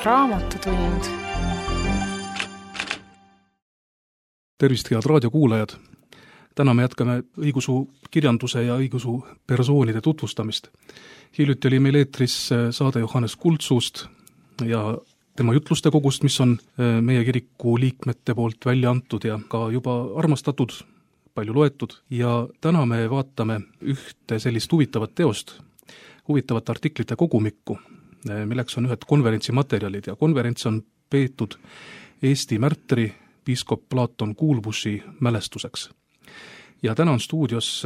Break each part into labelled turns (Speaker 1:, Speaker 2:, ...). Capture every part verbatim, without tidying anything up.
Speaker 1: Raamatutund.
Speaker 2: Tervist, head raadiokuulajad! Täna me jätkame õigusu kirjanduse ja õigusu persoonide tutvustamist. Hiljuti oli meil eetris saade Johannes Kuldsust ja tema jutluste kogust, mis on meie kiriku liikmete poolt välja antud ja ka juba armastatud, palju loetud. Ja täna me vaatame ühte sellist huvitavat teost, huvitavat artiklite kogumikku, milleks on ühed konverentsi materjalid ja konverents on peetud Eesti märtri piiskop Plaaton Kuulbuši mälestuseks. Ja täna on stuudios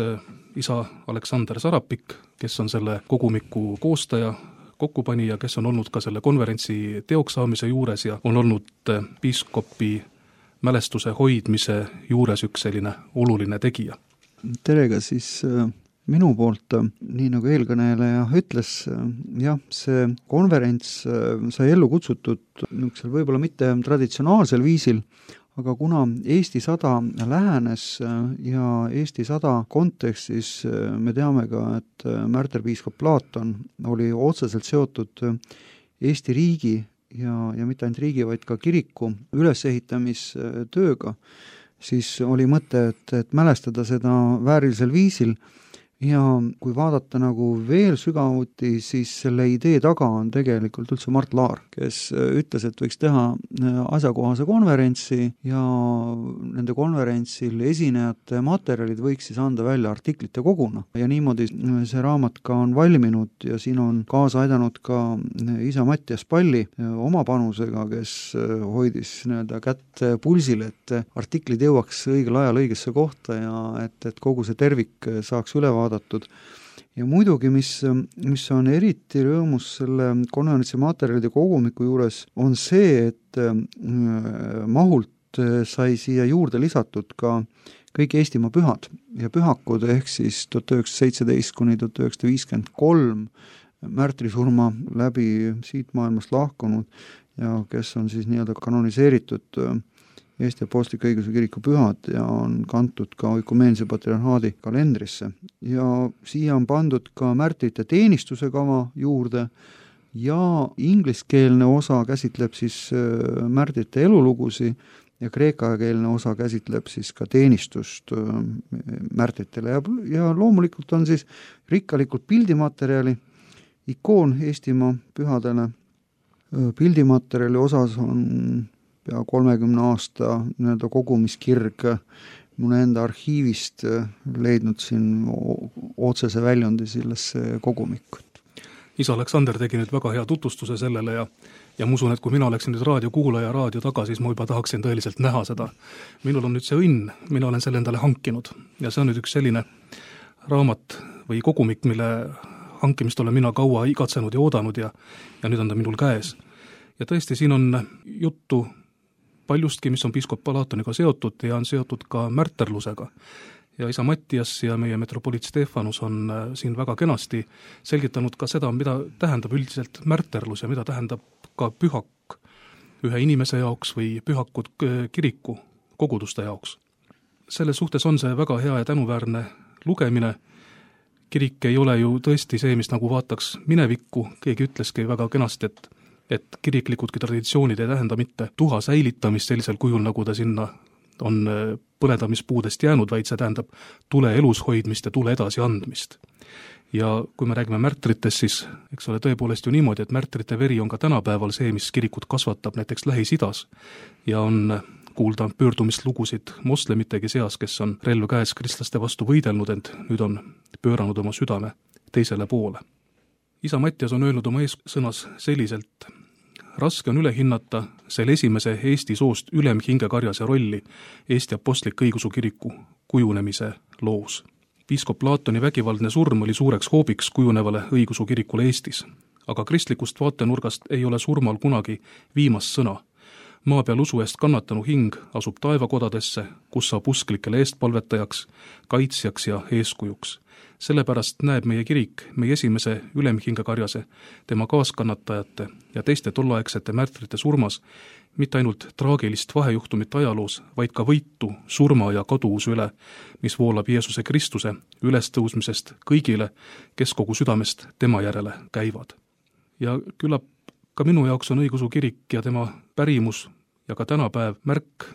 Speaker 2: isa Aleksander Sarapik, kes on selle kogumiku koostaja, kokkupanija, kes on olnud ka selle konverentsi teoks saamise juures ja on olnud piiskopi mälestuse hoidmise juures üks selline oluline tegija.
Speaker 3: Terega siis minu poolt, nii nagu eelkõneleja ütles, jah, see konverents sai ellu kutsutud niisugusel võib-olla mitte traditsionaalsel viisil, aga kuna Eesti sada lähenes ja Eesti sada kontekstis me teame ka, et märterpiiskop Plaaton oli otseselt seotud Eesti riigi ja, ja mitte ainult riigi, vaid ka kiriku ülesehitamistööga, siis oli mõte, et, et mälestada seda väärilisel viisil. Ja kui vaadata nagu veel sügavuti, siis selle idee taga on tegelikult üldse Mart Laar, kes ütles, et võiks teha asjakohase konverentsi ja nende konverentsil esinejate materjalid võiks siis anda välja artiklite koguna. Ja niimoodi see raamat ka on valminud ja siin on kaasa aidanud ka isa Mattias Palli oma panusega, kes hoidis nii-öelda kätt pulsil, et artiklid jõuaks õigel ajal õigesse kohta ja et, et kogu see tervik saaks üle vaadata. Ja muidugi, mis, mis on eriti rõõmus selle konverentsi materjalide kogumiku juures, on see, et mahult sai siia juurde lisatud ka kõik Eestimaa pühad ja pühakud ehk siis tuhat üheksasada seitseteist kuni tuhat üheksasada viiskümmend kolm märtrisurma läbi siit maailmast lahkunud ja kes on siis nii-öelda kanoniseeritud Eesti Apostliku Õigeusu Kiriku pühad ja on kantud ka Oikumeense patriarhaadi kalendrisse. Ja siia on pandud ka märtrite teenistuse kava juurde ja ingliskeelne osa käsitleb siis märtrite elulugusi ja kreekakeelne osa käsitleb siis ka teenistust märtritele. Ja, ja loomulikult on siis rikkalikult pildimaterjali, ikoon Eestimaa pühadele. Pildimaterjali osas on ja kolmekümne aasta nii-öelda kogumiskirg mul enda arhiivist leidnud siin otsese väljundi sellesse kogumikku.
Speaker 2: Isa Aleksander tegi nüüd väga hea tutvustuse sellele ja, ja ma usun, et kui mina oleksin nüüd raadiokuulaja raadio taga, siis ma juba tahaksin tõeliselt näha seda. Minul on nüüd see õnn, mina olen selle endale hankinud ja see on nüüd üks selline raamat või kogumik, mille hankimist olen mina kaua igatsenud ja oodanud ja, ja nüüd on ta minul käes. Ja tõesti, siin on juttu paljustki, mis on piiskop Plaatoniga seotud ja on seotud ka märterlusega. Ja isa Mattias ja meie metropoliit Stefanus on siin väga kenasti selgitanud ka seda, mida tähendab üldiselt märterlus ja mida tähendab ka pühak ühe inimese jaoks või pühakud kiriku koguduste jaoks. Selles suhtes on see väga hea ja tänuväärne lugemine. Kirik ei ole ju tõesti see, mis nagu vaataks minevikku, keegi ütleski väga kenasti, et et kiriklikudki traditsioonid ei tähenda mitte tuha säilitamist sellisel kujul, nagu ta sinna on põledamispuudest jäänud, vaid see tähendab tule elus hoidmist ja tule edasi andmist. Ja kui me räägime märtritest, siis eks ole tõepoolest ju niimoodi, et märtrite veri on ka tänapäeval see, mis kirikut kasvatab näiteks Lähis-Idas ja on kuulda pöördumislugusid moslemitegi seas, kes on relv käes kristlaste vastu võidelnud, ent nüüd on pööranud oma südame teisele poole. Isa Mattias on öelnud oma eessõnas selliselt: raske on üle hinnata selle esimese Eesti soost ülemhingekarjase rolli Eesti Apostliku Õigeusu Kiriku kujunemise loos. Piiskop Plaatoni vägivaldne surm oli suureks hoobiks kujunevale õigeusu kirikule Eestis, aga kristlikust vaatenurgast ei ole surmal kunagi viimast sõna. Maa peal usu eest kannatanu hing asub taevakodadesse, kus saab usklikele eestpalvetajaks, kaitsjaks ja eeskujuks. Sellepärast näeb meie kirik meie esimese ülemhingekarjase, tema kaaskannatajate ja teiste tollaegsete märtrite surmas mitte ainult traagilist vahejuhtumit ajaloos, vaid ka võitu surma ja kaduuse üle, mis voolab Jeesuse Kristuse ülestõusmisest kõigile, kes kogu südamest tema järele käivad. Ja küllap ka minu jaoks on õigeusu kirik ja tema pärimus ja ka tänapäev märk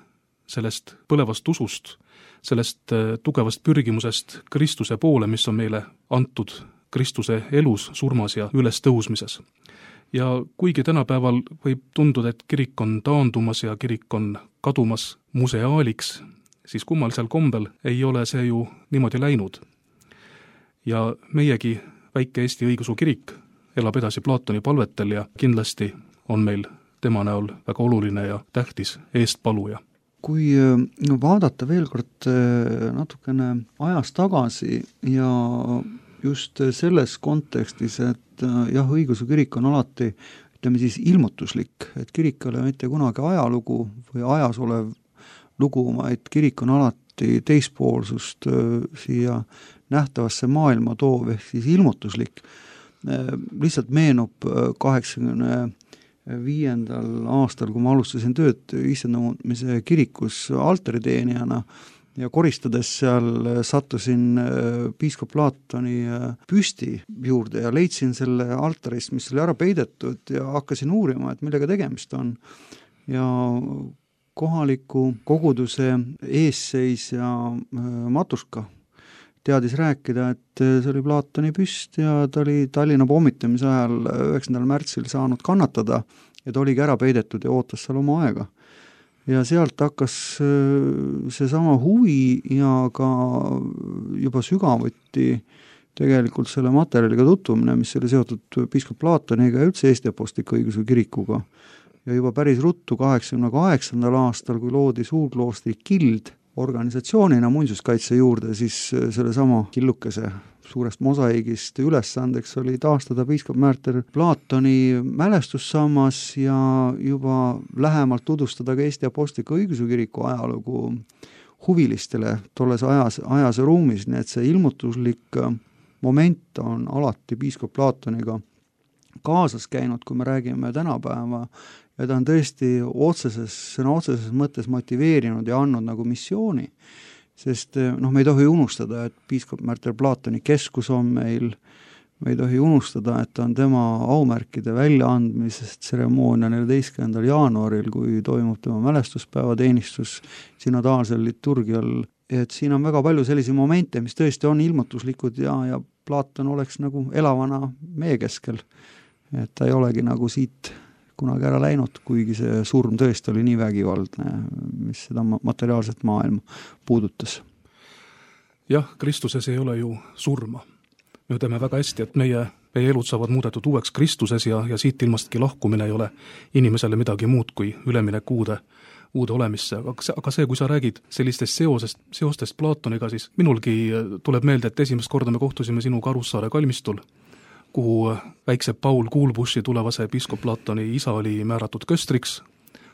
Speaker 2: sellest põlevast usust, sellest tugevast pürgimusest Kristuse poole, mis on meile antud Kristuse elus, surmas ja üles tõusmises. Ja kuigi tänapäeval võib tunduda, et kirik on taandumas ja kirik on kadumas museaaliks, siis kummalisel kombel ei ole see ju niimoodi läinud. Ja meiegi väike Eesti õigeusu kirik elab edasi Platoni palvetel ja kindlasti on meil tema näol väga oluline ja tähtis eestpaluja.
Speaker 3: Kui vaadata veel kord natukene ajas tagasi ja just selles kontekstis, et jah, õigeusu kirik on alati, ütleme siis, ilmutuslik, et kirik ei ole mitte kunagi ajalugu või ajas olev lugu, vaid kirik on alati teispoolsust siia nähtavasse maailma toov, ehk siis ilmutuslik. Lihtsalt meenub kaheksakümne viiendal aastal, kui ma alustasin tööd Issanda kirikus altariteenijana ja koristades seal sattusin piiskop Platoni püsti juurde ja leidsin selle altarist, mis oli ära peidetud ja hakkasin uurima, et millega tegemist on. Ja kohaliku koguduse eesseisja Matuška teadis rääkida, et see oli Platoni püst ja ta oli Tallinna pommitamise ajal üheksandal märtsil saanud kannatada ja ta oligi ära peidetud ja ootas seal oma aega. Ja sealt hakkas seesama huvi ja ka juba sügavuti tegelikult selle materjaliga tutvumine, mis oli seotud piiskop Platoniga ja üldse Eesti Apostliku Õigeusu Kirikuga. Ja juba päris ruttu kaheksakümne kaheksandal aastal, kui loodi Suurkloostri Kild organisatsioonina muinsuskaitse juurde, siis selle sama killukese suurest mosaiigist ülesandeks oli taastada piiskop Märter Platoni mälestussammas ja juba lähemalt tutvustada ka Eesti Apostliku Õigeusu Kiriku ajalugu huvilistele tolles ajas, ajas ja ruumis, nii et see ilmutuslik moment on alati piiskop Platoniga kaasas käinud, kui me räägime tänapäeva, ja ta on tõesti otseses, sõna otseses mõttes motiveerinud ja andnud nagu missiooni, sest noh, me ei tohi unustada, et piiskop Märter Platoni keskus on meil, me ei tohi unustada, et on tema aumärkide väljaandmisest tseremoonia neljateistkümnendal jaanuaril, kui toimub tema mälestuspäeva teenistus synodaalsel liturgial, et siin on väga palju sellisi momente, mis tõesti on ilmutuslikud ja, ja Platon oleks nagu elavana meie keskel, et ta ei olegi nagu siit kunagi ära läinud, kuigi see surm tõesti oli nii vägivaldne, mis seda materiaalset maailma puudutas.
Speaker 2: Jah, Kristuses ei ole ju surma. Me teame väga hästi, et meie, meie elud saavad muudetud uueks Kristuses ja, ja siit ilmastki lahkumine ei ole inimesele midagi muud kui üleminek uude, uude olemisse. Aga see, aga see, kui sa räägid sellistest seosest, seostest Platoniga, siis minulgi tuleb meelde, et esimest korda me kohtusime sinuga Arussaare kalmistul, kuhu väikse Paul Kuulbushi tulevase piiskop Platoni isa oli määratud köstriks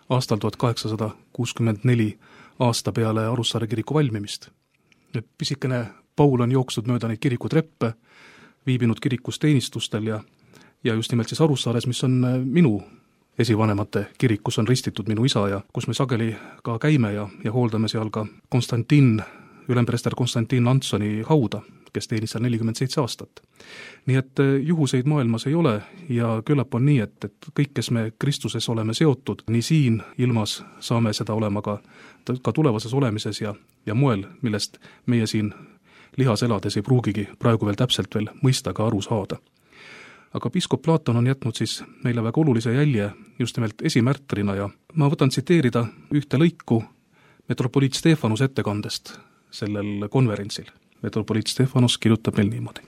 Speaker 2: aastal tuhat kaheksasada kuuskümmend neli aasta peale Arussaare kiriku valmimist. Nüüd pisikene Paul on jooksnud mööda neid kirikutreppe, viibinud kirikus teenistustel ja, ja just nimelt siis Arussaares, mis on minu esivanemate kirik, kus on ristitud minu isa ja kus me sageli ka käime ja, ja hooldame seal ka Konstantin, ülemprester Konstantin Antsoni hauda, kes teenis seal nelikümmend seitse aastat. Nii et juhuseid maailmas ei ole ja küllap on nii, et, et kõik, kes me Kristuses oleme seotud, nii siin ilmas saame seda olema ka, ka tulevases olemises ja, ja moel, millest meie siin lihas elades ei pruugigi praegu veel täpselt veel mõista ka aru saada. Aga piiskop Platon on jätnud siis meile väga olulise jälje just nimelt esimärtrina ja ma võtan tsiteerida ühte lõiku metropoliit Stefanus ettekandest sellel konverentsil. Metropoliit Stefanos kirjutab meil niimoodi.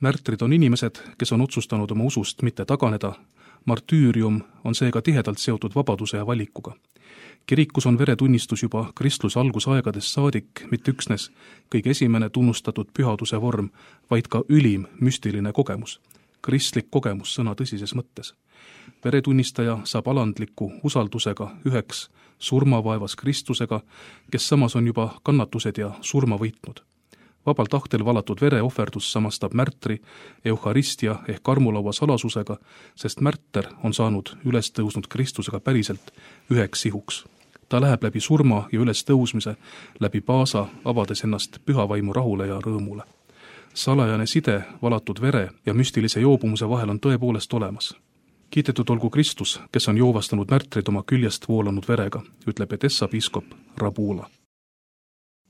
Speaker 2: Märtrid on inimesed, kes on otsustanud oma usust mitte taganeda. Martüürium on seega tihedalt seotud vabaduse ja valikuga. Kirikus on veretunnistus juba kristluse algusaegadest saadik, mitte üksnes kõige esimene tunnustatud pühaduse vorm, vaid ka ülim müstiline kogemus. Kristlik kogemus sõna tõsises mõttes. Veretunnistaja saab alandliku usaldusega üheks surmavaevas Kristusega, kes samas on juba kannatused ja surma võitnud. Vabal tahtel valatud vere ohverdus samastab märtri euharistia ehk armulaua salasusega, sest märter on saanud üles tõusnud Kristusega päriselt üheks sihuks. Ta läheb läbi surma ja üles tõusmise, läbi paasa, avades ennast pühavaimu rahule ja rõõmule. Salajane side valatud vere ja müstilise joobumuse vahel on tõepoolest olemas. kiidetud olgu Kristus, kes on joovastanud märtrid oma küljest voolanud verega, ütleb Edessa piiskop Rabula.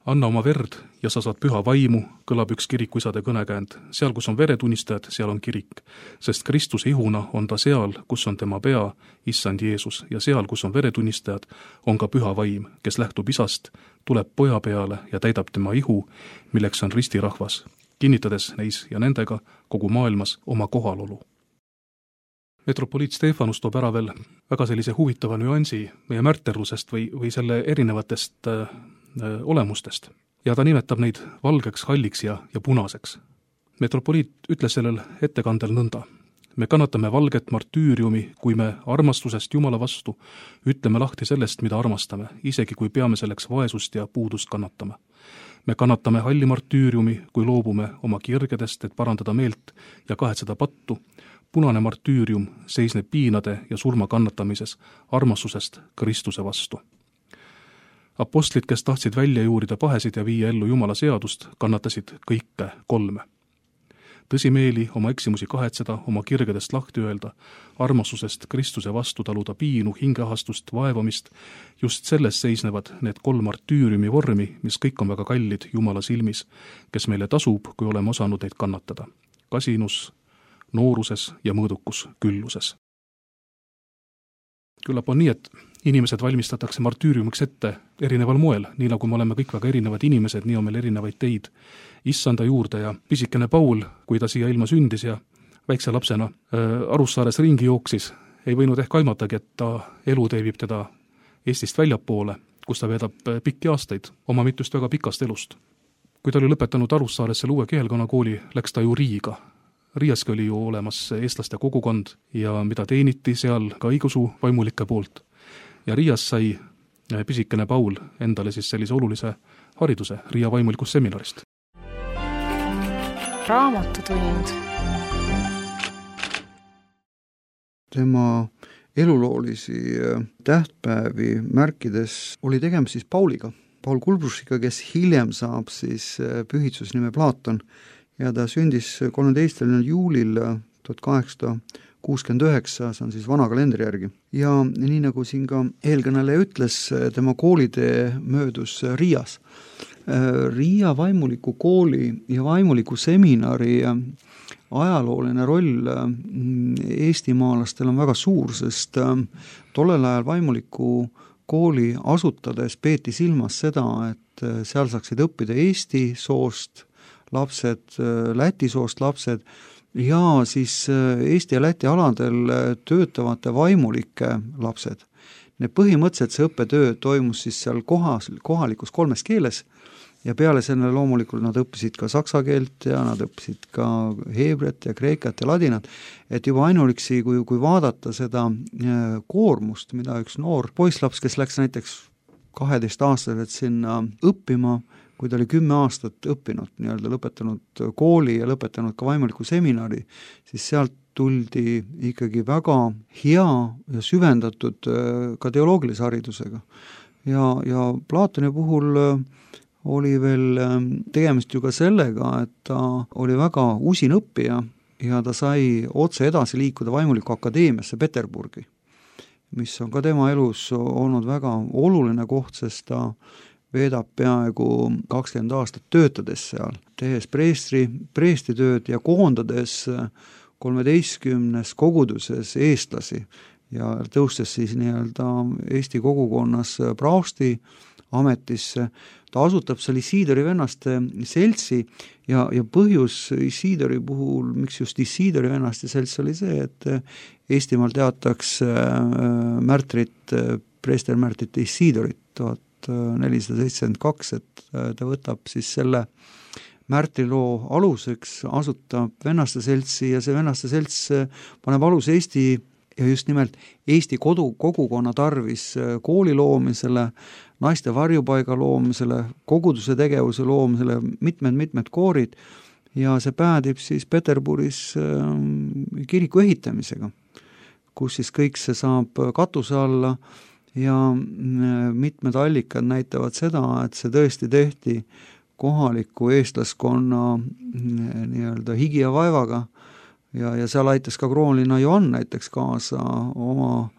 Speaker 2: Anna oma verd ja sa saad püha vaimu, kõlab üks kirikuisade kõnekäänd. Seal, kus on veretunnistajad, seal on kirik, sest Kristuse ihuna on ta seal, kus on tema pea, issand Jeesus, ja seal, kus on veretunnistajad, on ka püha vaim, kes lähtub isast, tuleb poja peale ja täidab tema ihu, milleks on ristirahvas, kinnitades neis ja nendega kogu maailmas oma kohalolu. Metropoliit Stefanus toob ära veel väga sellise huvitava nüansi meie märterlusest või, või selle erinevatest äh, olemustest. Ja ta nimetab neid valgeks, halliks ja, ja punaseks. Metropoliit ütles sellel ettekandel nõnda. Me kannatame valget martüüriumi, kui me armastusest Jumala vastu ütleme lahti sellest, mida armastame, isegi kui peame selleks vaesust ja puudust kannatama. Me kannatame halli martüüriumi, kui loobume oma kirgedest, et parandada meelt ja kahetseda pattu. Punane martüürium seisneb piinade ja surma kannatamises armastusest Kristuse vastu. Apostlid, kes tahtsid välja juurida pahesid ja viia ellu Jumala seadust, kannatasid kõike kolme. Tõsimeeli oma eksimusi kahetseda, oma kirgedest lahti öelda, armastusest Kristuse vastu taluda piinu, hingeahastust, vaevamist, just selles seisnevad need kolm martüüriumi vormi, mis kõik on väga kallid Jumala silmis, kes meile tasub, kui oleme osanud neid kannatada. Kasinus, nooruses ja mõõdukus külluses. Küllap on nii, et inimesed valmistatakse martüüriumiks ette erineval moel, nii nagu me oleme kõik väga erinevad inimesed, nii on meil erinevaid teid issanda juurde ja pisikene Paul, kui ta siia ilma sündis ja väikse lapsena äh, Arussaares ringi jooksis, ei võinud ehk aimatagi, et ta elu teebib teda Eestist väljapoole, kus ta veedab pikki aastaid oma mitust väga pikast elust. Kui ta oli lõpetanud Arussaares selle uue keelkonnakooli, läks ta ju Riiga. Riiaski oli ju olemas eestlaste kogukond ja mida teeniti seal ka õigusu vaimulike poolt. Ja Riias sai pisikene Paul endale siis sellise olulise hariduse Riia vaimulikust seminarist.
Speaker 1: Raamatutund.
Speaker 3: Tema eluloolisi tähtpäevi märkides oli tegemist siis Pauliga, Paul Kulbrusiga, kes hiljem saab siis pühitsusnime Plaaton ja ta sündis kolmeteistkümnendal juulil tuhat kaheksasada kuuskümmend üheksa, see on siis vana kalendri järgi. Ja nii nagu siin ka eelkõneleja ütles, tema koolitee möödus Riias. Riia vaimuliku kooli ja vaimuliku seminari ajalooline roll eestimaalastel on väga suur, sest tollel ajal vaimuliku kooli asutades peeti silmas seda, et seal saaksid õppida eesti soost lapsed, läti soost lapsed ja siis Eesti ja Läti aladel töötavate vaimulike lapsed. Need põhimõtteliselt see õppetöö toimus siis seal kohas, kohalikus kolmes keeles ja peale selle loomulikult nad õppisid ka saksa keelt ja nad õppisid ka heebret ja kreekat ja ladinat, et juba ainuliksi, kui, kui vaadata seda koormust, mida üks noor poisslaps, kes läks näiteks kaheteist aastaselt sinna õppima, kui ta oli kümme aastat õppinud, nii-öelda lõpetanud kooli ja lõpetanud ka vaimuliku seminari, siis sealt tuldi ikkagi väga hea ja süvendatud ka teoloogilise haridusega. Ja, ja Platoni puhul oli veel tegemist ju ka sellega, et ta oli väga usin õppija ja ta sai otse edasi liikuda vaimuliku akadeemiasse Peterburgi, mis on ka tema elus olnud väga oluline koht, sest ta veedab peaaegu kakskümmend aastat töötades seal, tehes preestri, preestitööd ja koondades kolmeteistkümnes koguduses eestlasi ja tõustes siis nii-öelda Eesti kogukonnas praosti ametisse. Ta asutab seal Isidori vennaste seltsi ja, ja põhjus Isidori puhul, miks just Isidori vennaste selts oli see, et Eestimaal teataks märtrit, preestermärtrit Isidorit tuhat nelisada seitsekümmend kaks, et ta võtab siis selle märtriloo aluseks, asutab vennaste seltsi ja see vennaste selts paneb alus Eesti ja just nimelt Eesti kodu, kogukonna tarvis kooli loomisele, naiste varjupaiga loomisele, koguduse tegevuse loomisele, mitmed-mitmed koorid ja see päädib siis Peterburis kiriku ehitamisega, kus siis kõik see saab katuse alla ja mitmed allikad näitavad seda, et see tõesti tehti kohaliku eestlaskonna nii-öelda higi ja vaevaga ja, ja seal aitas ka kroonlinna Johann näiteks kaasa oma,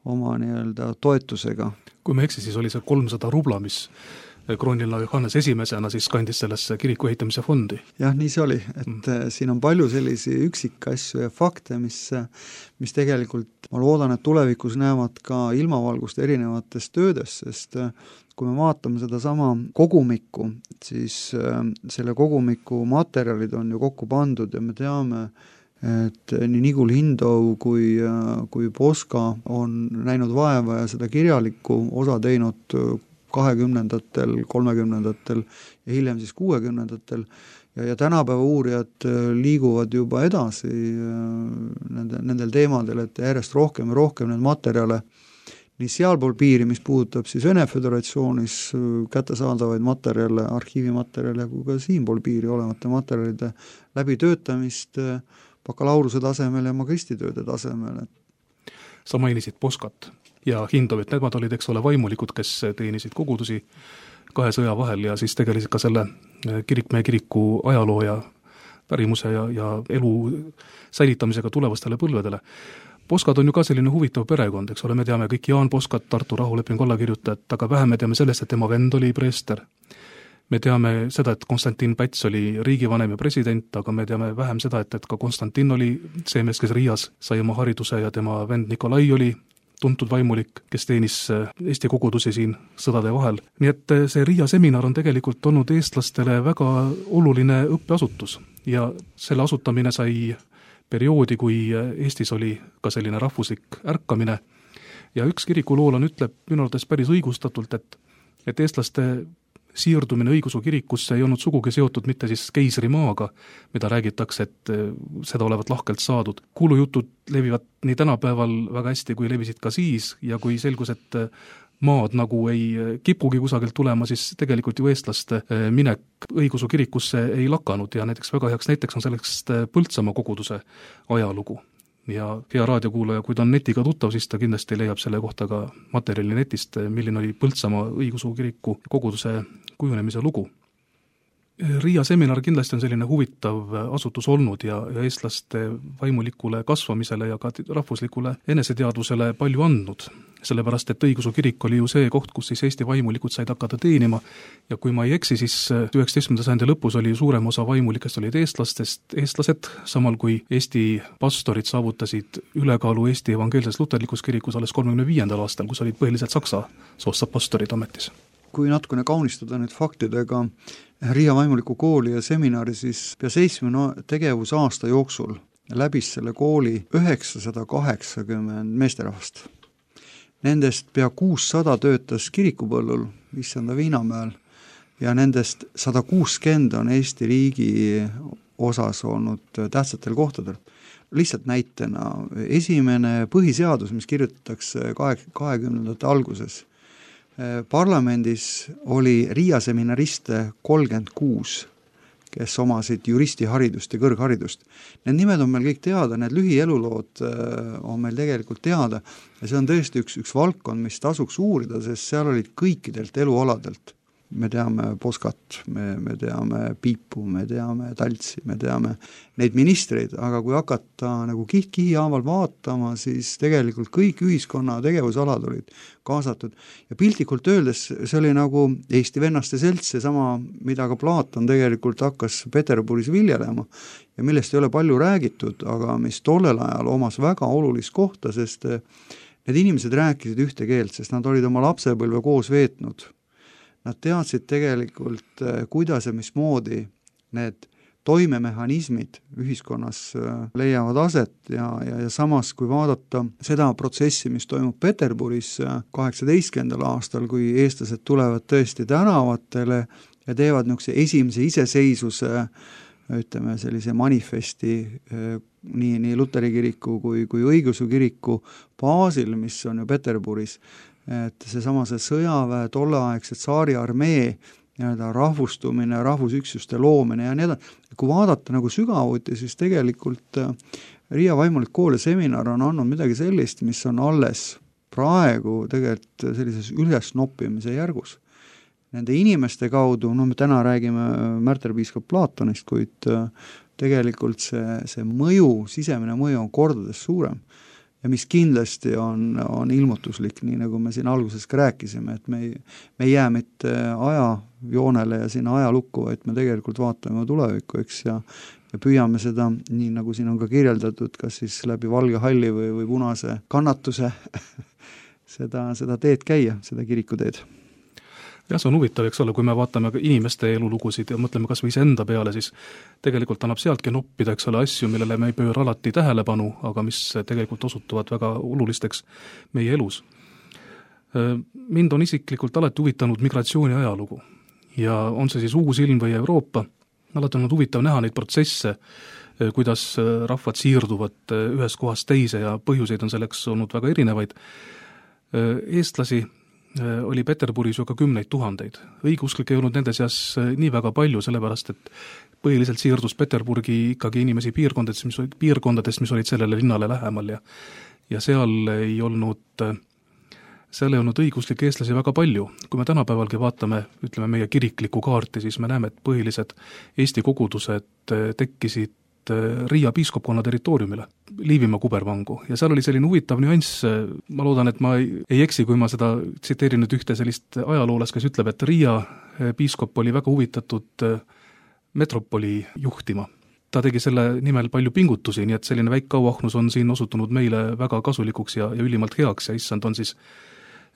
Speaker 3: oma nii-öelda toetusega.
Speaker 2: Kui me eksi, siis oli see kolmsada rubla, mis kroonlinna Johannes esimesena siis kandis sellesse kiriku ehitamise fondi.
Speaker 3: Jah, nii see oli, et mm. siin on palju sellisi üksikasju ja fakte, mis, mis tegelikult, ma loodan, et tulevikus näevad ka ilmavalgust erinevates töödes, sest kui me vaatame seda sama kogumikku, siis selle kogumiku materjalid on ju kokku pandud ja me teame, et nii Nigul Hindov kui, kui Poska on näinud vaeva ja seda kirjalikku osa teinud kahekümnendatel, kolmekümnendatel ja hiljem siis kuuekümnendatel ja, ja tänapäeva uurijad liiguvad juba edasi nende, nendel teemadel, et järjest rohkem ja rohkem need materjale nii sealpool piiri, mis puudutab siis Vene Föderatsioonis kättesaadavaid materjale, arhiivimaterjale, kui ka siinpool piiri olevate materjalide läbitöötamist bakalaureuse tasemel ja magistritööde tasemel.
Speaker 2: Sa mainisid Poskat ja Hindovit, nemad olid, eks ole, vaimulikud, kes teenisid kogudusi kahe sõja vahel ja siis tegelisid ka selle kirikmehe kiriku ajaloo ja pärimuse ja, ja elu säilitamisega tulevastele põlvedele. Poskad on ju ka selline huvitav perekond, eks ole, me teame kõik Jaan Poskat, Tartu rahulepingu allakirjutajat, aga vähem me teame sellest, et tema vend oli preester. Me teame seda, et Konstantin Päts oli riigivanem ja president, aga me teame vähem seda, et, et ka Konstantin oli see mees, kes Riias sai oma hariduse ja tema vend Nikolai oli tuntud vaimulik, kes teenis Eesti kogudusi siin sõdade vahel. Nii et see Riia seminar on tegelikult olnud eestlastele väga oluline õppeasutus ja selle asutamine sai perioodi, kui Eestis oli ka selline rahvuslik ärkamine ja üks kirikuloolane ütleb minu arvates päris õigustatult, et, et eestlaste siirdumine õigeusu kirikusse ei olnud sugugi seotud mitte siis keisrimaaga, mida räägitakse, et seda olevat lahkelt saadud. Kuulujutud levivad nii tänapäeval väga hästi, kui levisid ka siis ja kui selgus, et maad nagu ei kipugi kusagilt tulema, siis tegelikult ju eestlaste minek õigeusu kirikusse ei lakanud ja näiteks väga heaks näiteks on selleks Põltsamaa koguduse ajalugu. Ja hea raadiokuulaja, kui ta on netiga tuttav, siis ta kindlasti leiab selle kohta ka materjali netist, milline oli Põltsamaa õigeusu kiriku koguduse kujunemise lugu. Riia seminar kindlasti on selline huvitav asutus olnud ja, ja eestlaste vaimulikule kasvamisele ja ka rahvuslikule eneseteadvusele palju andnud. Sellepärast, et õigeusu kirik oli ju see koht, kus siis Eesti vaimulikud said hakata teenima ja kui ma ei eksi, siis üheksateistkümnenda sajandi lõpus oli suurem osa vaimulikest olid eestlastest, eestlased, samal kui Eesti pastorid saavutasid ülekaalu Eesti evangeelses luterlikus kirikus alles kolmekümne viiendal aastal, kus olid põhiliselt saksa soost pastorid ametis.
Speaker 3: Kui natukene kaunistada nüüd faktidega Riia vaimuliku kooli ja seminari, siis pea seitsmekümne tegevusaasta jooksul läbis selle kooli üheksasada kaheksakümmend meesterahvast. Nendest pea kuussada töötas kirikupõllul Issanda Viinamäel ja nendest sada kuuskümmend on Eesti riigi osas olnud tähtsatel kohtadel. Lihtsalt näitena, esimene põhiseadus, mis kirjutatakse kahekümnendate alguses, parlamendis oli Riia seminariste kolmkümmend kuus, kes omasid juristiharidust ja kõrgharidust. Need nimed on meil kõik teada, need lühielulood on meil tegelikult teada ja see on tõesti üks, üks valdkond, mis tasuks uurida, sest seal olid kõikidelt elualadelt. Me teame Poskat, me, me teame Piipu, me teame Taltsi, me teame neid ministreid, aga kui hakata nagu kiht-kihi haaval vaatama, siis tegelikult kõik ühiskonna tegevusalad olid kaasatud. Ja piltlikult öeldes see oli nagu Eesti vennaste selts, see sama, mida ka Platon tegelikult hakkas Peterburis viljelema ja millest ei ole palju räägitud, aga mis tollel ajal omas väga olulist kohta, sest need inimesed rääkisid ühte keelt, sest nad olid oma lapsepõlve koos veetnud. Nad teadsid tegelikult, kuidas ja mismoodi need toimemehhanismid ühiskonnas leiavad aset ja, ja, ja samas, kui vaadata seda protsessi, mis toimub Peterburis kaheksateistkümnendal aastal, kui eestlased tulevad tõesti tänavatele ja teevad niisuguse esimese iseseisvuse, ütleme sellise manifesti nii, nii Luteri kiriku kui, kui õigeusu kiriku baasil, mis on ju Peterburis, et seesama see sõjaväe, tolleaegse tsaari armee nii-öelda rahvustumine, rahvusüksuste loomine ja nii edasi. Kui vaadata nagu sügavuti, siis tegelikult Riia vaimulik kool ja seminar on andnud midagi sellist, mis on alles praegu tegelikult sellises ülesnoppimise järgus. Nende inimeste kaudu, no me täna räägime märterpiiskop Platonist, kuid tegelikult see, see mõju, sisemine mõju on kordades suurem. Ja mis kindlasti on, on ilmutuslik, nii nagu me siin alguses ka rääkisime, et me ei, me ei jää mitte ajajoonele ja sinna ajalukku, et me tegelikult vaatame tulevikku, eks, ja, ja püüame seda, nii nagu siin on ka kirjeldatud, kas siis läbi valge halli või, või punase kannatuse seda, seda teed käia, seda kirikuteed.
Speaker 2: Jah, see on huvitav, eks ole, kui me vaatame inimeste elulugusid ja mõtleme kas või enda peale, siis tegelikult annab sealtki noppida, eks ole, asju, millele me ei pööra alati tähelepanu, aga mis tegelikult osutuvad väga olulisteks meie elus. Mind on isiklikult alati huvitanud migratsiooni ajalugu ja on see siis Uus-Ilm või Euroopa, alati on huvitav näha neid protsesse, kuidas rahvad siirduvad ühest kohast teise ja põhjuseid on selleks olnud väga erinevaid. Eestlasi oli Peterburis ju ka kümneid tuhandeid. Õigeusklik ei olnud nende seas nii väga palju, sellepärast et põhiliselt siirdus Peterburgi ikkagi inimesi piirkondadest, mis olid, piirkondadest, mis olid sellele linnale lähemal ja, ja seal ei olnud, seal ei olnud õigeusklikke eestlasi väga palju. Kui me tänapäevalgi vaatame, ütleme meie kiriklikku kaarti, siis me näeme, et põhilised Eesti kogudused tekkisid Riia piiskopkonna territooriumile, Liivimaa kubervangu, ja seal oli selline huvitav nüanss, ma loodan, et ma ei, ei eksi, kui ma seda tsiteerin nüüd ühte sellist ajaloolast, kes ütleb, et Riia piiskop oli väga huvitatud metropoli juhtima. Ta tegi selle nimel palju pingutusi, nii et selline väike auahnus on siin osutunud meile väga kasulikuks ja, ja ülimalt heaks ja issand on siis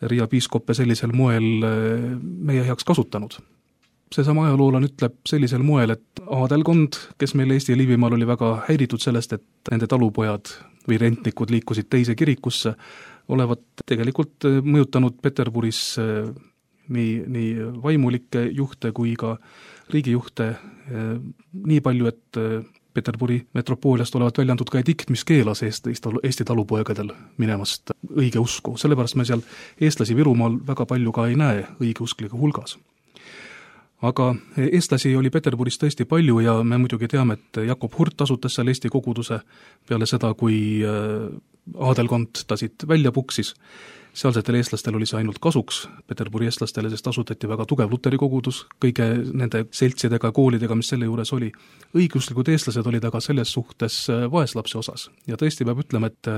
Speaker 2: Riia piiskoppe sellisel moel meie heaks kasutanud. Seesama ajaloolan ütleb sellisel moel, et aadelkond, kes meil Eesti ja Liivimaal oli väga häiritud sellest, et nende talupojad või rentnikud liikusid teise kirikusse, olevat tegelikult mõjutanud Peterburis nii, nii vaimulikke juhte kui ka riigijuhte nii palju, et Peterburi metropooliast olevat välja antud ka edikt, mis keelas Eesti, Eesti talupoegadel minemast õige usku. Sellepärast me seal eestlasi Virumaal väga palju ka ei näe õigeusklike hulgas. Aga eestlasi oli Peterburis tõesti palju ja me muidugi teame, et Jakob Hurt asutas seal Eesti koguduse peale seda, kui aadelkond ta siit välja puksis. Sealsetel eestlastel oli see ainult kasuks Peterburi eestlastele, sest asutati väga tugev luteri kogudus kõige nende seltsidega, koolidega, mis selle juures oli. Õigeusklikud eestlased olid aga selles suhtes vaeslapse osas. Ja tõesti peab ütlema, et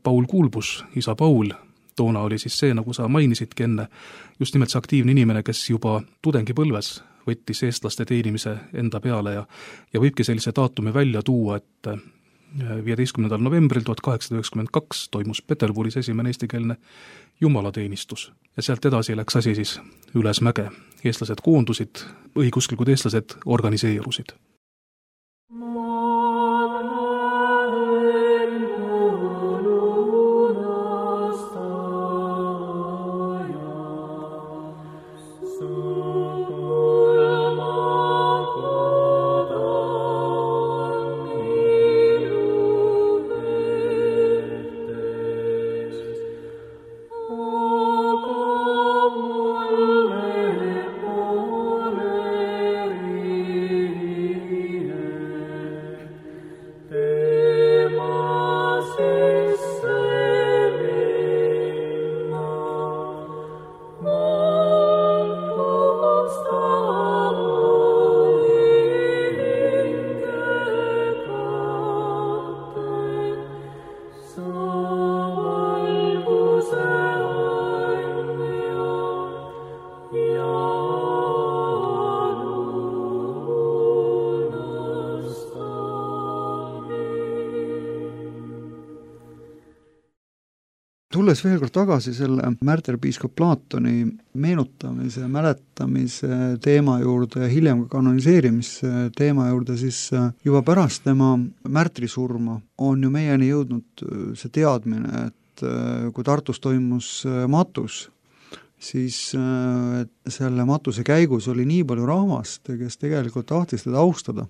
Speaker 2: Paul Kuulbus, isa Paul, toona oli siis see, nagu sa mainisidki enne, just nimelt see aktiivne inimene, kes juba tudengipõlves võttis eestlaste teenimise enda peale ja, ja võibki sellise daatumi välja tuua, et viieteistkümnendal novembril tuhat kaheksasada üheksakümmend kaks toimus Peterburis esimene eestikeelne jumalateenistus ja sealt edasi läks asi siis üles mäge. Eestlased koondusid, õigeusklikud eestlased organiseerusid.
Speaker 3: Tulles veel kord tagasi selle märterpiiskop Platoni meenutamise, mäletamise teema juurde ja hiljem ka kanoniseerimise teema juurde, siis juba pärast tema märtrisurma on ju meieni jõudnud see teadmine, et kui Tartus toimus matus, siis selle matuse käigus oli nii palju rahvast, kes tegelikult tahtis teda austada,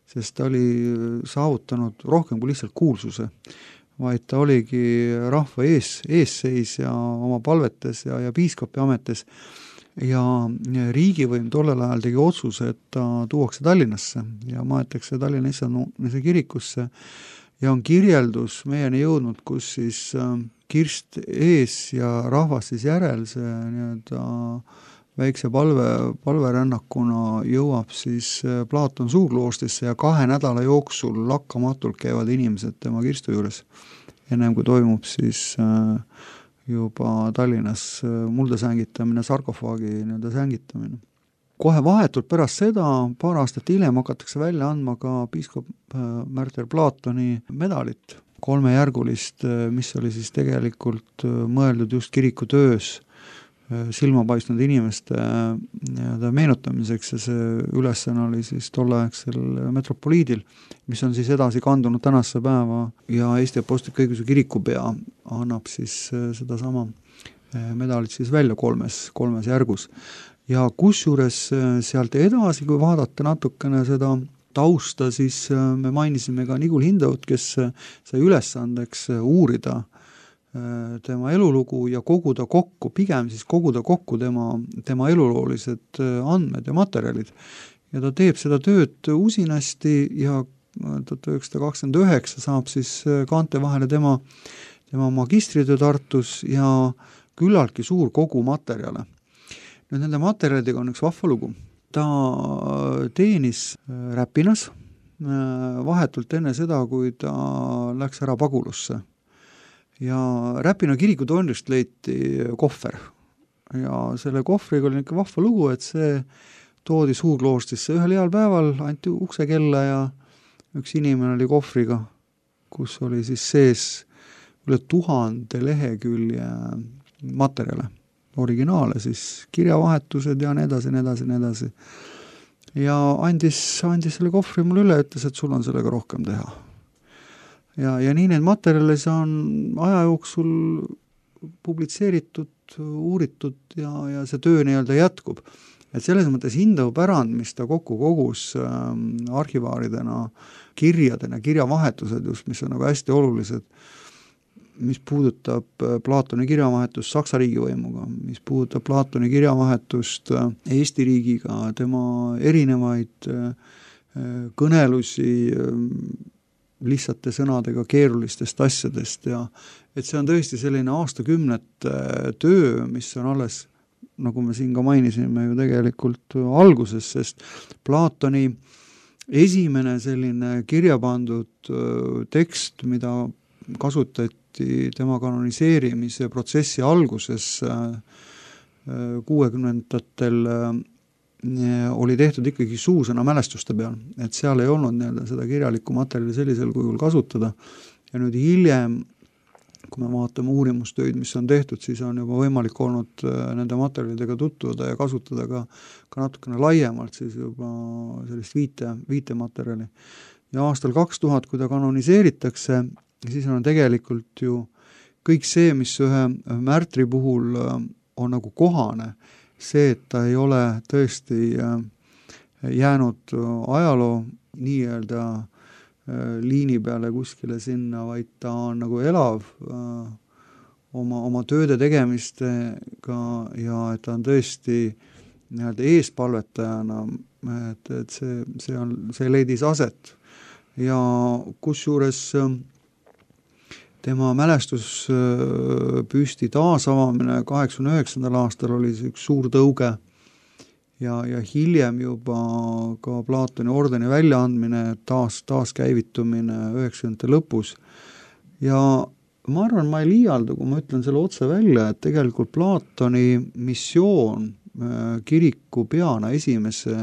Speaker 3: sest ta oli saavutanud rohkem kui lihtsalt kuulsuse, vaid ta oligi rahva ees, eesseis ja oma palvetes ja, ja piiskopi ametes ja riigivõim tollel ajal tegi otsuse, et ta tuuakse Tallinnasse ja maetakse Tallinna Issanda kirikusse ja on kirjeldus meieni jõudnud, kus siis kirst ees ja rahvas siis järel, see nii-öelda väikse palve, palverännakuna jõuab siis Platon Suurkloostrisse ja kahe nädala jooksul lakkamatult käivad inimesed tema kirstu juures, ennem kui toimub siis juba Tallinnas mulda sängitamine, sarkofaagi nii-öelda sängitamine. Kohe vahetult pärast seda, paar aastat hiljem hakatakse välja andma ka piiskop Märter Platoni medalit, kolmejärgulist, mis oli siis tegelikult mõeldud just kiriku töös silma paistnud inimeste nii-öelda meenutamiseks ja see ülesanne oli siis tolleaegsel metropoliidil, mis on siis edasi kandunud tänasse päeva ja Eesti Apostlik-Õigeusu Kirikupea annab siis sedasama medalit siis välja kolmes, kolmes järgus. Ja kusjuures sealt edasi, kui vaadata natukene seda tausta, siis me mainisime ka Nigul Hindaut, kes sai ülesandeks uurida tema elulugu ja koguda kokku, pigem siis koguda kokku tema, tema eluloolised andmed ja materjalid. Ja ta teeb seda tööd usinasti ja tuhat üheksasada kakskümmend üheksa saab siis kaante vahele tema, tema magistritöö Tartus ja küllaltki suur kogu materjale. Nüüd nende materjalidega on üks vahva lugu. Ta teenis Räpinas vahetult enne seda, kui ta läks ära Pagulusse. Ja Räpina kirikutornist leiti kohver. Ja selle kohvriga oli niisugune vahva lugu, et see toodi Suurkloostrisse ühel heal päeval, anti uksekella ja üks inimene oli kohvriga, kus oli siis sees üle tuhande lehekülje materjale, originaale, siis kirjavahetused ja nii edasi, nii edasi, nii edasi. Ja andis, andis selle kohvri mulle üle, ütles, et sul on sellega rohkem teha. Ja, ja nii need materjalis on aja jooksul publitseeritud, uuritud ja, ja see töö nii-öelda jätkub. Et selles mõttes Hindau pärand, mis ta kokku kogus äh, arhivaaridena, kirjadena, kirjavahetused just, mis on nagu hästi olulised, mis puudutab Platoni kirjavahetust Saksa riigivõimuga, mis puudutab Platoni kirjavahetust Eesti riigiga, tema erinevaid kõnelusi lihtsate sõnadega keerulistest asjadest ja et see on tõesti selline aastakümnete töö, mis on alles, nagu me siin ka mainisime ju tegelikult alguses, sest Platoni esimene selline kirja pandud tekst, mida kasutati tema kanoniseerimise protsessi alguses kuuekümnendatel oli tehtud ikkagi suusõna mälestuste peal, et seal ei olnud nii-öelda seda kirjalikku materjali sellisel kujul kasutada ja nüüd hiljem, kui me vaatame uurimustöid, mis on tehtud, siis on juba võimalik olnud nende materjalidega tutvuda ja kasutada ka, ka natukene laiemalt siis juba sellist viite, viitematerjali. Ja aastal kaks tuhat, kui ta kanoniseeritakse, siis on tegelikult ju kõik see, mis ühe märtri puhul on nagu kohane, see, et ta ei ole tõesti jäänud ajaloo nii-öelda liini peale kuskile sinna, vaid ta on nagu elav oma, oma tööde tegemistega ja et ta on tõesti nii-öelda eespalvetajana, et, et see, see, on, see leidis aset. Ja kusjuures tema mälestuspüsti taasavamine kaheksakümne üheksandal aastal oli üks suur tõuge ja, ja hiljem juba ka Platoni ordeni väljaandmine, taas, taaskäivitumine üheksakümnendate lõpus. Ja ma arvan, ma ei liialda, kui ma ütlen selle otse välja, et tegelikult Platoni missioon kiriku peana esimese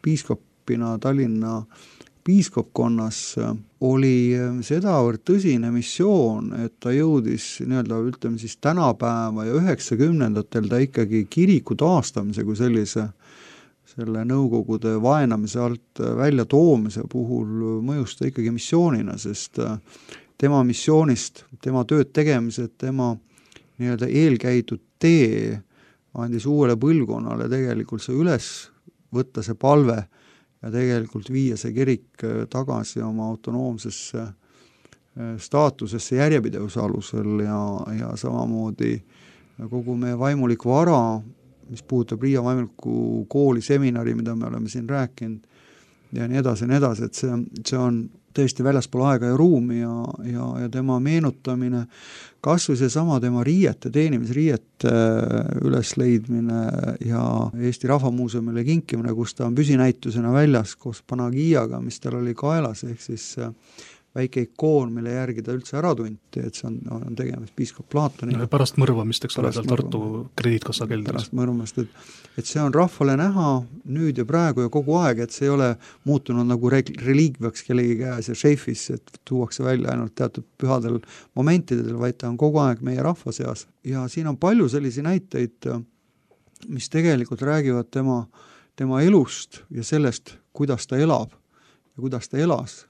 Speaker 3: piiskopina Tallinna piiskopkonnas oli sedavõrd tõsine missioon, et ta jõudis nii-öelda, ütleme siis tänapäeva ja üheksakümnendatel ta ikkagi kiriku taastamise kui sellise selle nõukogude vaenamise alt välja toomise puhul mõjus ta ikkagi missioonina, sest tema missioonist, tema tööd tegemised, tema nii-öelda eelkäidud tee andis uuele põlvkonnale tegelikult see üles võtta see palve ja tegelikult viia see kirik tagasi oma autonoomsesse staatusesse järjepidevuse alusel ja, ja samamoodi kogu meie vaimuliku vara, mis puudutab Riia vaimuliku kooli seminari, mida me oleme siin rääkinud ja nii edasi, nii edasi, et see, see on tõesti väljaspool aega ja ruumi ja, ja, ja tema meenutamine, kas või see sama tema riiete, teenimisriiete ülesleidmine ja Eesti Rahvamuuseumile kinkimine, kus ta on püsinäitusena väljas koos Panagiaga, mis tal oli kaelas, ehk siis väike ikoon, mille järgi ta üldse ära tunti, et see on, on tegemist piiskop Platoniga.
Speaker 2: No, pärast mõrvamist, eks ole, seal Tartu krediitkassa keldris.
Speaker 3: Pärast mõrvamist, et, et see on rahvale näha nüüd ja praegu ja kogu aeg, et see ei ole muutunud nagu reliikviaks kellegi käes ja šeifis, et tuuakse välja ainult teatud pühadel momentidel, vaid ta on kogu aeg meie rahva seas. Ja siin on palju sellisi näiteid, mis tegelikult räägivad tema, tema elust ja sellest, kuidas ta elab ja kuidas ta elas.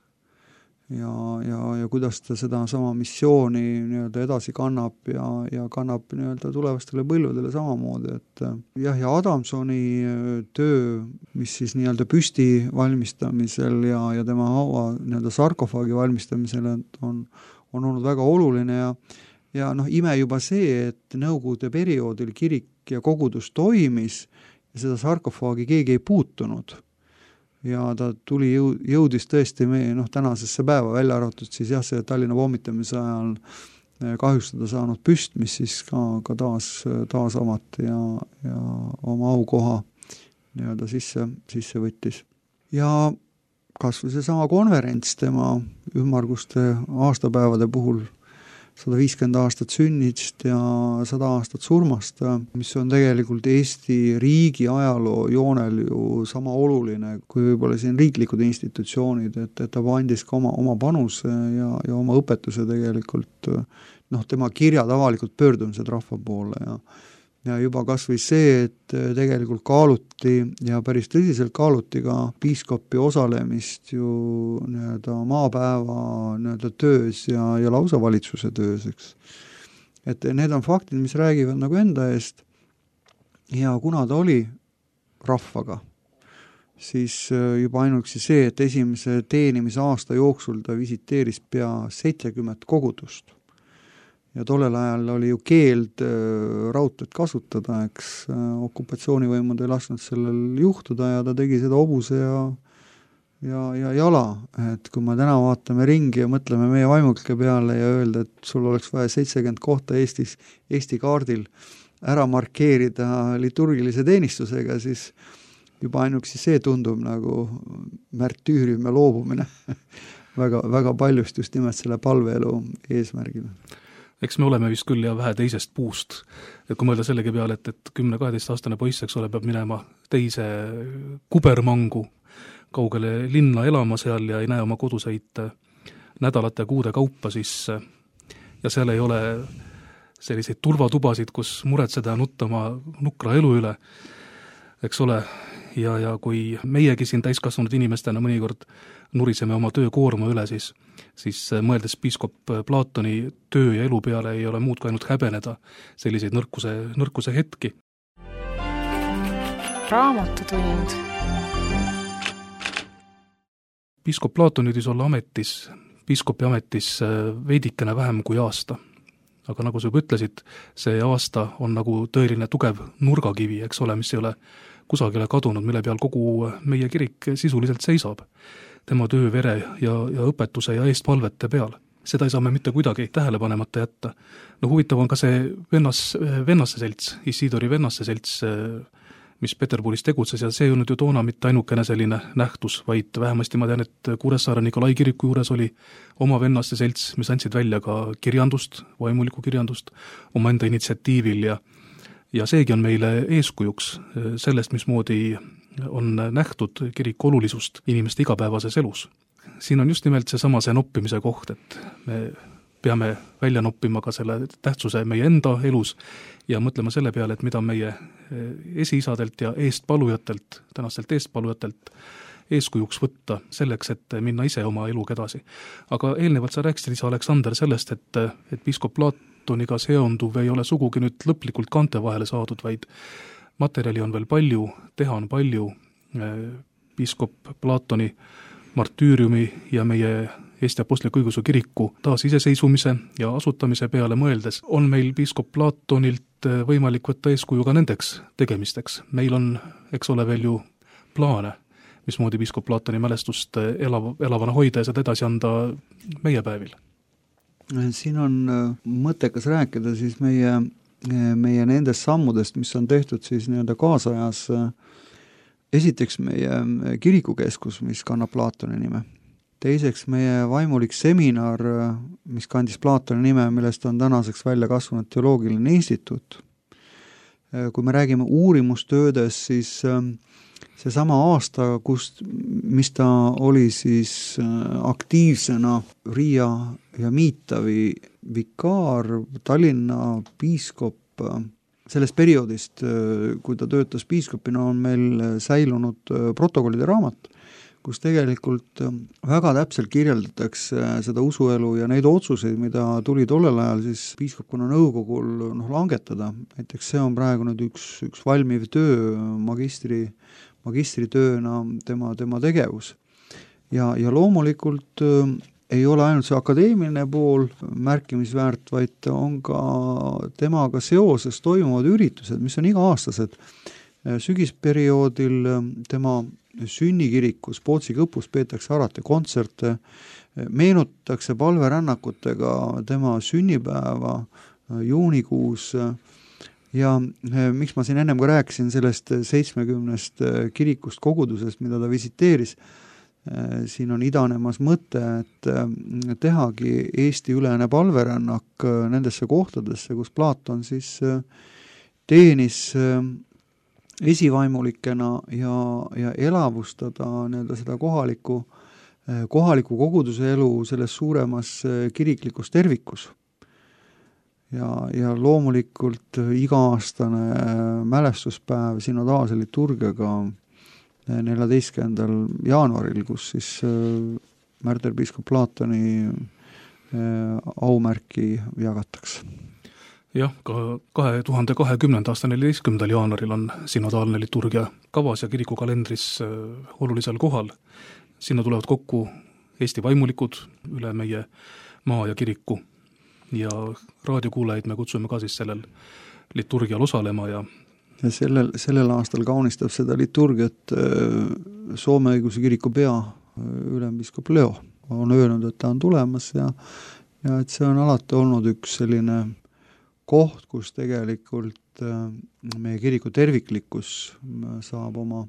Speaker 3: Ja, ja, ja kuidas ta seda sama missiooni nii-öelda edasi kannab ja, ja kannab nii-öelda tulevastele põlvedele samamoodi, et jah, ja Adamsoni töö, mis siis nii-öelda püsti valmistamisel ja, ja tema haua nii-öelda sarkofaagi valmistamisel on, on olnud väga oluline ja, ja noh, ime juba see, et Nõukogude perioodil kirik ja kogudus toimis ja seda sarkofaagi keegi ei puutunud. Ja ta tuli, jõudis tõesti meie noh, tänasesse päeva välja arvatud siis jah, see Tallinna pommitamise ajal kahjustada saanud püst, mis siis ka, ka taas, taas avati ja, ja oma aukoha nii-öelda sisse, sisse võttis. Ja kas või see sama konverents tema ümmarguste aastapäevade puhul, sada viiskümmend aastat sünnist ja sada aastat surmast, mis on tegelikult Eesti riigi ajaloo joonel ju sama oluline kui võib-olla siin riiklikud institutsioonid, et, et ta andis ka oma, oma panuse ja, ja oma õpetuse tegelikult, noh, tema kirjad avalikult pöördumised rahva poole ja ja juba kas või see, et tegelikult kaaluti ja päris tõsiselt kaaluti ka piiskopi osalemist ju nii-öelda maapäeva nii-öelda töös ja, ja lausa valitsuse töös, eks. Et need on faktid, mis räägivad nagu enda eest ja kuna ta oli rahvaga, siis juba ainuüksi see, et esimese teenimise aasta jooksul ta visiteeris pea seitsekümmend kogudust. Ja tollel ajal oli ju keeld raudteed kasutada, eks okupatsioonivõimud ei lasknud sellel juhtuda ja ta tegi seda hobuse ja, ja, ja jala. Et kui me täna vaatame ringi ja mõtleme meie vaimulike peale ja öelda, et sul oleks vaja seitsekümmend kohta Eestis, Eesti kaardil ära markeerida liturgilise teenistusega, siis juba ainuüksi see tundub nagu märtüürium ja loobumine väga, väga paljust just nimelt selle palveelu eesmärgil.
Speaker 2: Eks me oleme vist küll ja vähe teisest puust. Et kui mõelda sellegi peale, et, et kümne-kaheteist aastane poiss, eks ole, peab minema teise kubermangu kaugele linna elama seal ja ei näe oma koduseid nädalate ja kuude kaupa, siis ja seal ei ole selliseid turvatubasid, kus muretseda ja nuttama nukra elu üle, eks ole, ja, ja kui meiegi siin täiskasvanud inimestena mõnikord nuriseme oma töökoorma üle, siis, siis mõeldes piiskop Platoni töö ja elu peale ei ole muud kui ainult häbeneda selliseid nõrkuse, nõrkuse hetki.
Speaker 1: Raamatutund.
Speaker 2: Piiskop Platon jõudis olla ametis, piiskopi ametis veidikene vähem kui aasta. Aga nagu sa juba ütlesid, see aasta on nagu tõeline tugev nurgakivi, eks ole, mis ei ole kusagile kadunud, mille peal kogu meie kirik sisuliselt seisab. Tema töö, vere ja, ja õpetuse ja eestpalvete peal. Seda ei saa me mitte kuidagi tähele panemata jätta. No huvitav on ka see vennas, vennasse selts, Isidori vennasse selts, mis Peterburis tegutses ja see ei olnud ju toona mitte ainukene selline nähtus, vaid vähemasti ma tean, et Kuressaare Nikolai kiriku juures oli oma vennasse selts, mis andsid välja ka kirjandust, vaimulikku kirjandust, oma enda initsiatiivil ja ja seegi on meile eeskujuks sellest, mismoodi on nähtud kiriku olulisust inimeste igapäevases elus. Siin on just nimelt see sama see noppimise koht, et me peame välja noppima ka selle tähtsuse meie enda elus ja mõtlema selle peale, et mida meie esiisadelt ja eestpalujatelt, tänastelt eestpalujatelt eeskujuks võtta selleks, et minna ise oma eluga edasi. Aga eelnevalt sa rääkisid, isa Aleksander, sellest, et, et piiskop Platoniga seonduv ei ole sugugi nüüd lõplikult kante vahele saadud, vaid materjali on veel palju, teha on palju. Piiskop Platoni martüüriumi ja meie Eesti Apostliku Õigeusu Kiriku taas iseseisvumise ja asutamise peale mõeldes on meil piiskop Platonilt võimalik võtta eeskuju ka nendeks tegemisteks. Meil on, eks ole, veel ju plaane. mismoodi piiskop Platoni mälestust elav, elavana hoida ja seda edasi anda meie päevil?
Speaker 3: Siin on mõttekas rääkida siis meie, meie nendest sammudest, mis on tehtud siis nii-öelda kaasajas. Esiteks meie kirikukeskus, mis kannab Platoni nime. Teiseks meie vaimulik seminar, mis kandis Platoni nime, millest on tänaseks välja kasvanud teoloogiline instituut. Kui me räägime uurimustöödest, siis seesama aasta, kust, mis ta oli siis aktiivsena Riia ja Miitavi vikaar, Tallinna piiskop, sellest perioodist, kui ta töötas piiskopina, on meil säilunud protokollide raamat, kus tegelikult väga täpselt kirjeldatakse seda usuelu ja neid otsuseid, mida tuli tollel ajal siis piiskopkonna nõukogul noh, langetada. Näiteks see on praegu nüüd üks, üks valmiv töö, magistri, magistritööna tema, tema tegevus. Ja, ja loomulikult ei ole ainult see akadeemiline pool märkimisväärt, vaid on ka temaga seoses toimuvad üritused, mis on iga-aastased. Sügisperioodil tema sünnikirikus Pootsi kõpus peetakse alati kontserte, meenutatakse palverännakutega tema sünnipäeva juunikuus ja miks ma siin ennem ka rääkisin sellest seitsmekümnest kirikust kogudusest, mida ta visiteeris, siin on idanemas mõte, et tehagi Eesti-ülene palverännak nendesse kohtadesse, kus Platon siis teenis esivaimulikena ja, ja elavustada nii-öelda seda kohaliku, kohaliku koguduse elu selles suuremas kiriklikus tervikus. Ja, ja loomulikult iga-aastane mälestuspäev synodaalse liturgiaga neljateistkümnendal jaanuaril, kus siis märterpiiskop Platoni aumärki jagatakse.
Speaker 2: Jah, ka kahe tuhande kahekümnenda aasta neljateistkümnendal jaanuaril on synodaalne liturgia kavas ja kirikukalendris olulisel kohal. Sinna tulevad kokku Eesti vaimulikud üle meie maa ja kiriku ja raadiokuulajaid me kutsume ka siis sellel liturgial osalema ja
Speaker 3: ja sellel, sellel aastal kaunistab seda liturgiat Soome õiguse kiriku pea ülempiiskop Leo on öelnud, et ta on tulemas ja, ja et see on alati olnud üks selline koht, kus tegelikult meie kiriku terviklikkus saab oma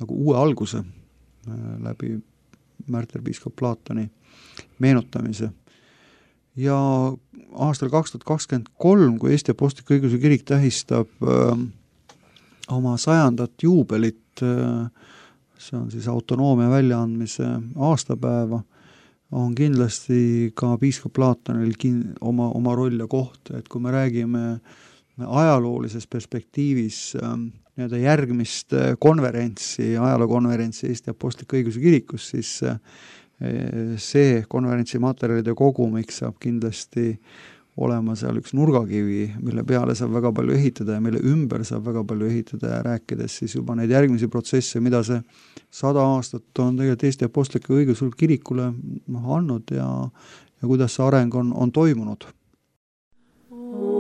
Speaker 3: nagu uue alguse läbi märterpiiskop Platoni meenutamise. Ja aastal kaks tuhat kakskümmend kolm, kui Eesti Apostlik Õigeusu Kirik tähistab oma sajandat juubelit, see on siis autonoomia väljaandmise aastapäeva, on kindlasti ka piiskop Platonil kin- oma, oma roll ja koht, et kui me räägime ajaloolises perspektiivis nii-öelda järgmist konverentsi, ajalookonverentsi Eesti Apostlik Õigeusu Kirikus, siis see konverentsi materjalide kogumik saab kindlasti olema seal üks nurgakivi, mille peale saab väga palju ehitada ja mille ümber saab väga palju ehitada ja rääkides siis juba neid järgmisi protsesse, mida see sada aastat on tegelikult Eesti Apostliku Õigeusu Kirikule andnud ja, ja kuidas see areng on, on toimunud.
Speaker 1: Bye.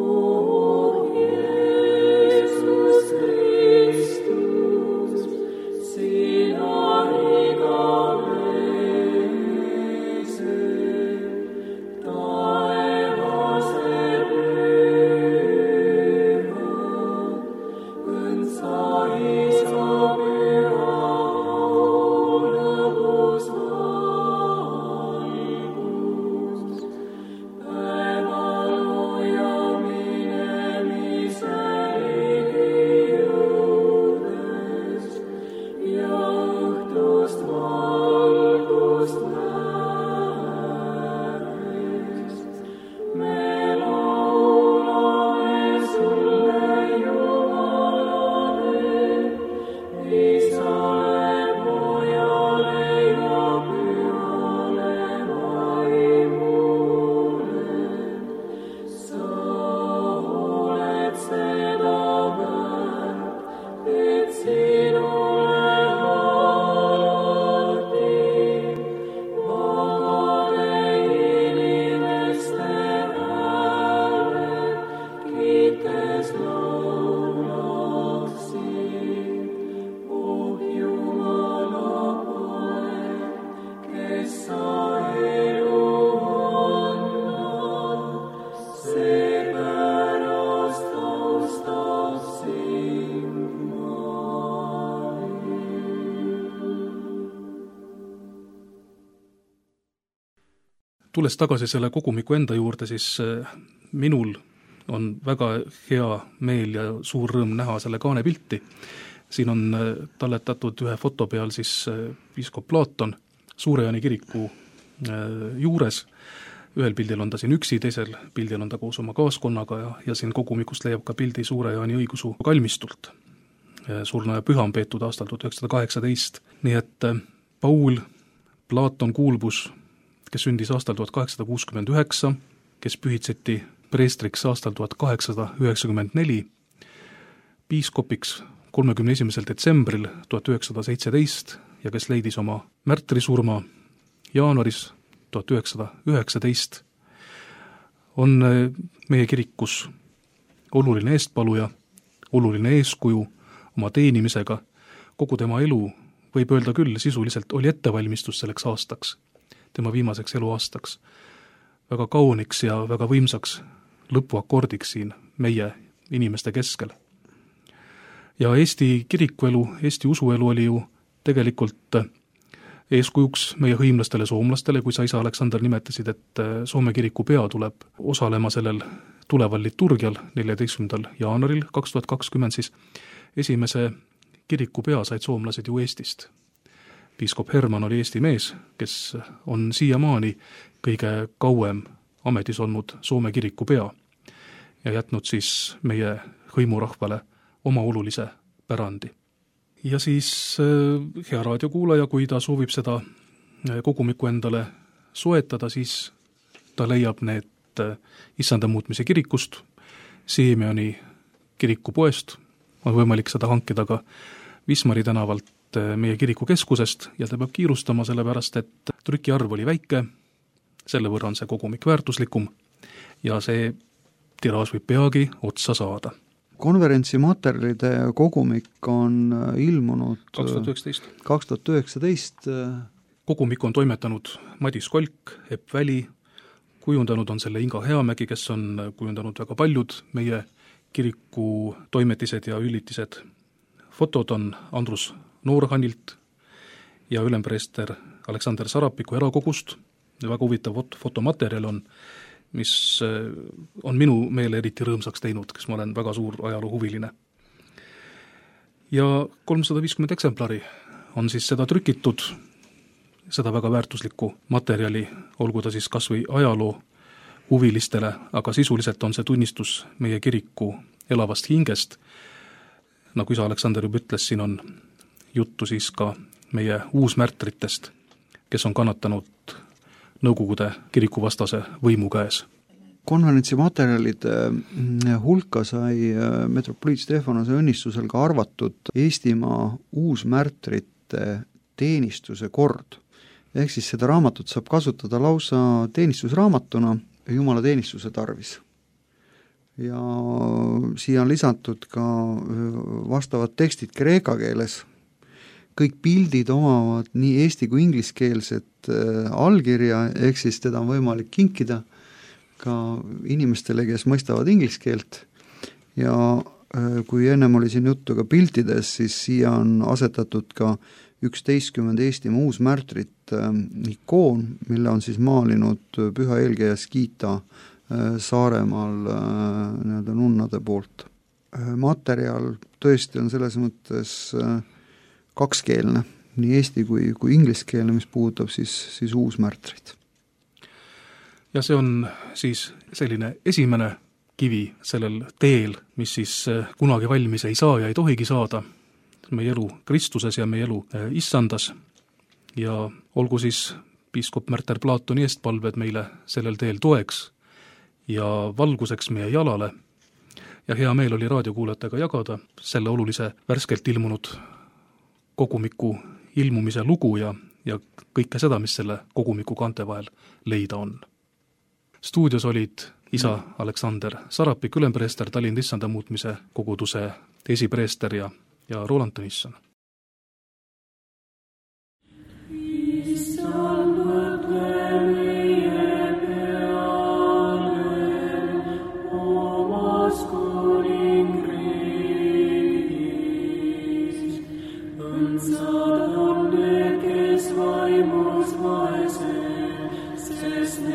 Speaker 2: tulles tagasi selle kogumiku enda juurde, siis minul on väga hea meel ja suur rõõm näha selle kaane pilti. Siin on talletatud ühe foto peal siis piiskop Plaaton Suure-Jaani kiriku juures. Ühel pildil on ta siin üksi, teisel pildil on ta koos oma kaaskonnaga ja, ja siin kogumikust leiab ka pildi Suure-Jaani õigusu kalmistult. Surnuaja püha on peetud aastal tuhat üheksasada kaheksateist. Nii et Paul Plaaton Kuulbus, kes sündis aastal tuhat kaheksasada kuuskümmend üheksa, kes pühitseti preestriks aastal tuhat kaheksasada üheksakümmend neli, piiskopiks kolmekümne esimesel detsembril tuhat üheksasada seitseteist ja kes leidis oma märtrisurma jaanuaris tuhat üheksasada üheksateist, on meie kirikus oluline eestpaluja, oluline eeskuju oma teenimisega. Kogu tema elu, võib öelda küll, sisuliselt oli ettevalmistus selleks aastaks, tema viimaseks eluaastaks, väga kauniks ja väga võimsaks lõpuakordiks siin meie inimeste keskel. Ja Eesti kirikuelu, Eesti usuelu oli ju tegelikult eeskujuks meie hõimlastele soomlastele, kui sa isa Aleksander nimetasid, et Soome kiriku pea tuleb osalema sellel tuleval liturgial neljateistkümnendal jaanuaril kaks tuhat kakskümmend, siis esimese kiriku pea said soomlased ju Eestist. Piiskop Herman oli Eesti mees, kes on siiamaani kõige kauem ametis olnud Soome kiriku pea ja jätnud siis meie hõimurahvale oma olulise pärandi. Ja siis hea raadiokuulaja, kui ta soovib seda kogumikku endale soetada, siis ta leiab need Issanda muutmise kirikust, Siemioni kirikupoest, on võimalik seda hankida ka Wismari tänavalt meie kirikukeskusest ja ta peab kiirustama sellepärast, et trükiarv oli väike, selle võrra on see kogumik väärtuslikum ja see tiraaž võib peagi otsa saada.
Speaker 3: Konverentsi materjalide kogumik on ilmunud
Speaker 2: kaks tuhat üheksateist.
Speaker 3: kaks tuhat üheksateist.
Speaker 2: Kogumik on toimetanud Madis Kolk, Epp Väli, kujundanud on selle Inga Heamägi, kes on kujundanud väga paljud meie kiriku toimetised ja üllitised. Fotod on Andrus Noorhanilt ja ülempreester Aleksander Sarapiku erakogust. Väga huvitav fotomaterjal on, mis on minu meele eriti rõõmsaks teinud, kes ma olen väga suur ajaloohuviline. Ja kolmsada viiskümmend eksemplari on siis seda trükitud, seda väga väärtuslikku materjali, olgu ta siis kas või ajaloo huvilistele, aga sisuliselt on see tunnistus meie kiriku elavast hingest. Nagu isa Aleksander juba ütles, siin on juttu siis ka meie uusmärtritest, kes on kannatanud Nõukogude kirikuvastase võimu käes.
Speaker 3: Konverentsi materjalide hulka sai metropoliit Stefanose õnnistusel ka arvatud Eestimaa uusmärtrite teenistuse kord. Ehk siis seda raamatut saab kasutada lausa teenistusraamatuna Jumala teenistuse tarvis. Ja siia on lisatud ka vastavad tekstid kreeka keeles. Kõik pildid omavad nii eesti kui ingliskeelset allkirja, ehk siis teda on võimalik kinkida ka inimestele, kes mõistavad ingliskeelt. Ja kui ennem oli siin juttu ka piltides, siis siia on asetatud ka üksteistkümmend Eestimaa uusmärtrit ikoon, mille on siis maalinud püha eelkäija Skita Saaremaal nii-öelda nunnade poolt. Materjal tõesti on selles mõttes kakskeelne, nii eesti kui, kui ingliskeelne, mis puudutab siis, siis uusmärtrid.
Speaker 2: Ja see on siis selline esimene kivi sellel teel, mis siis kunagi valmis ei saa ja ei tohigi saada. Meie elu Kristuses ja meie elu Issandas. Ja olgu siis piiskop Märter Plaatoni eestpalved meile sellel teel toeks ja valguseks meie jalale. Ja hea meel oli raadiokuulajatega jagada selle olulise värskelt ilmunud kogumiku ilmumise lugu ja, ja kõike seda, mis selle kogumiku kante vahel leida on. Stuudios olid isa Aleksander Sarapik, ülempreester, Tallinna Issanda muutmise koguduse esipreester ja, ja Roland Tõnisson.
Speaker 1: Unser Hunde, kes vaimus vaese, sest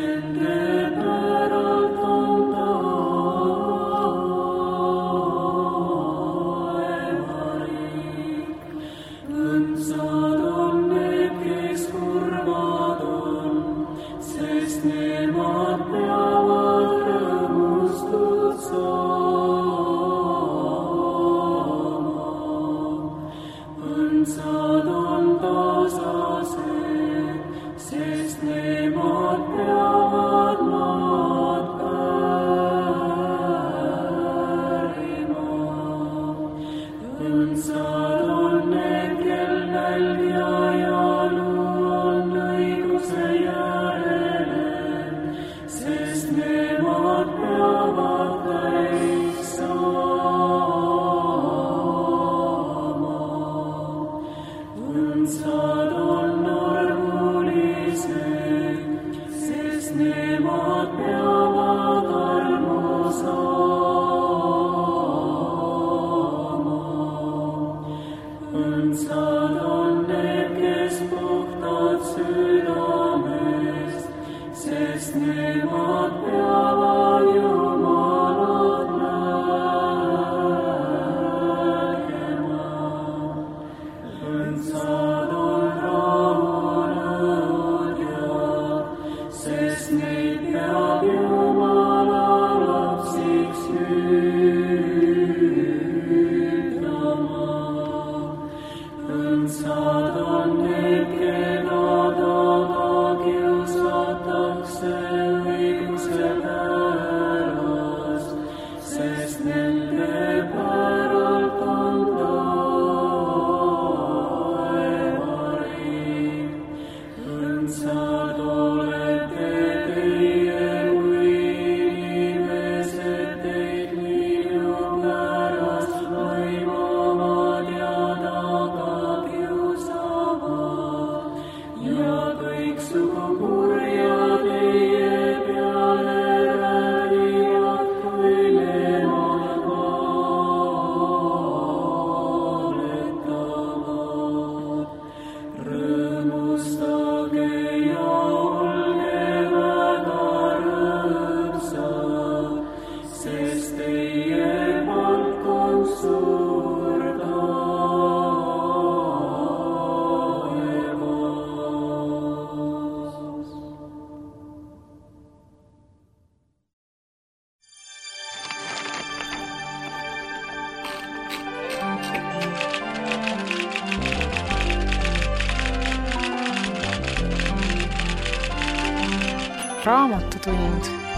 Speaker 1: Raamatutund.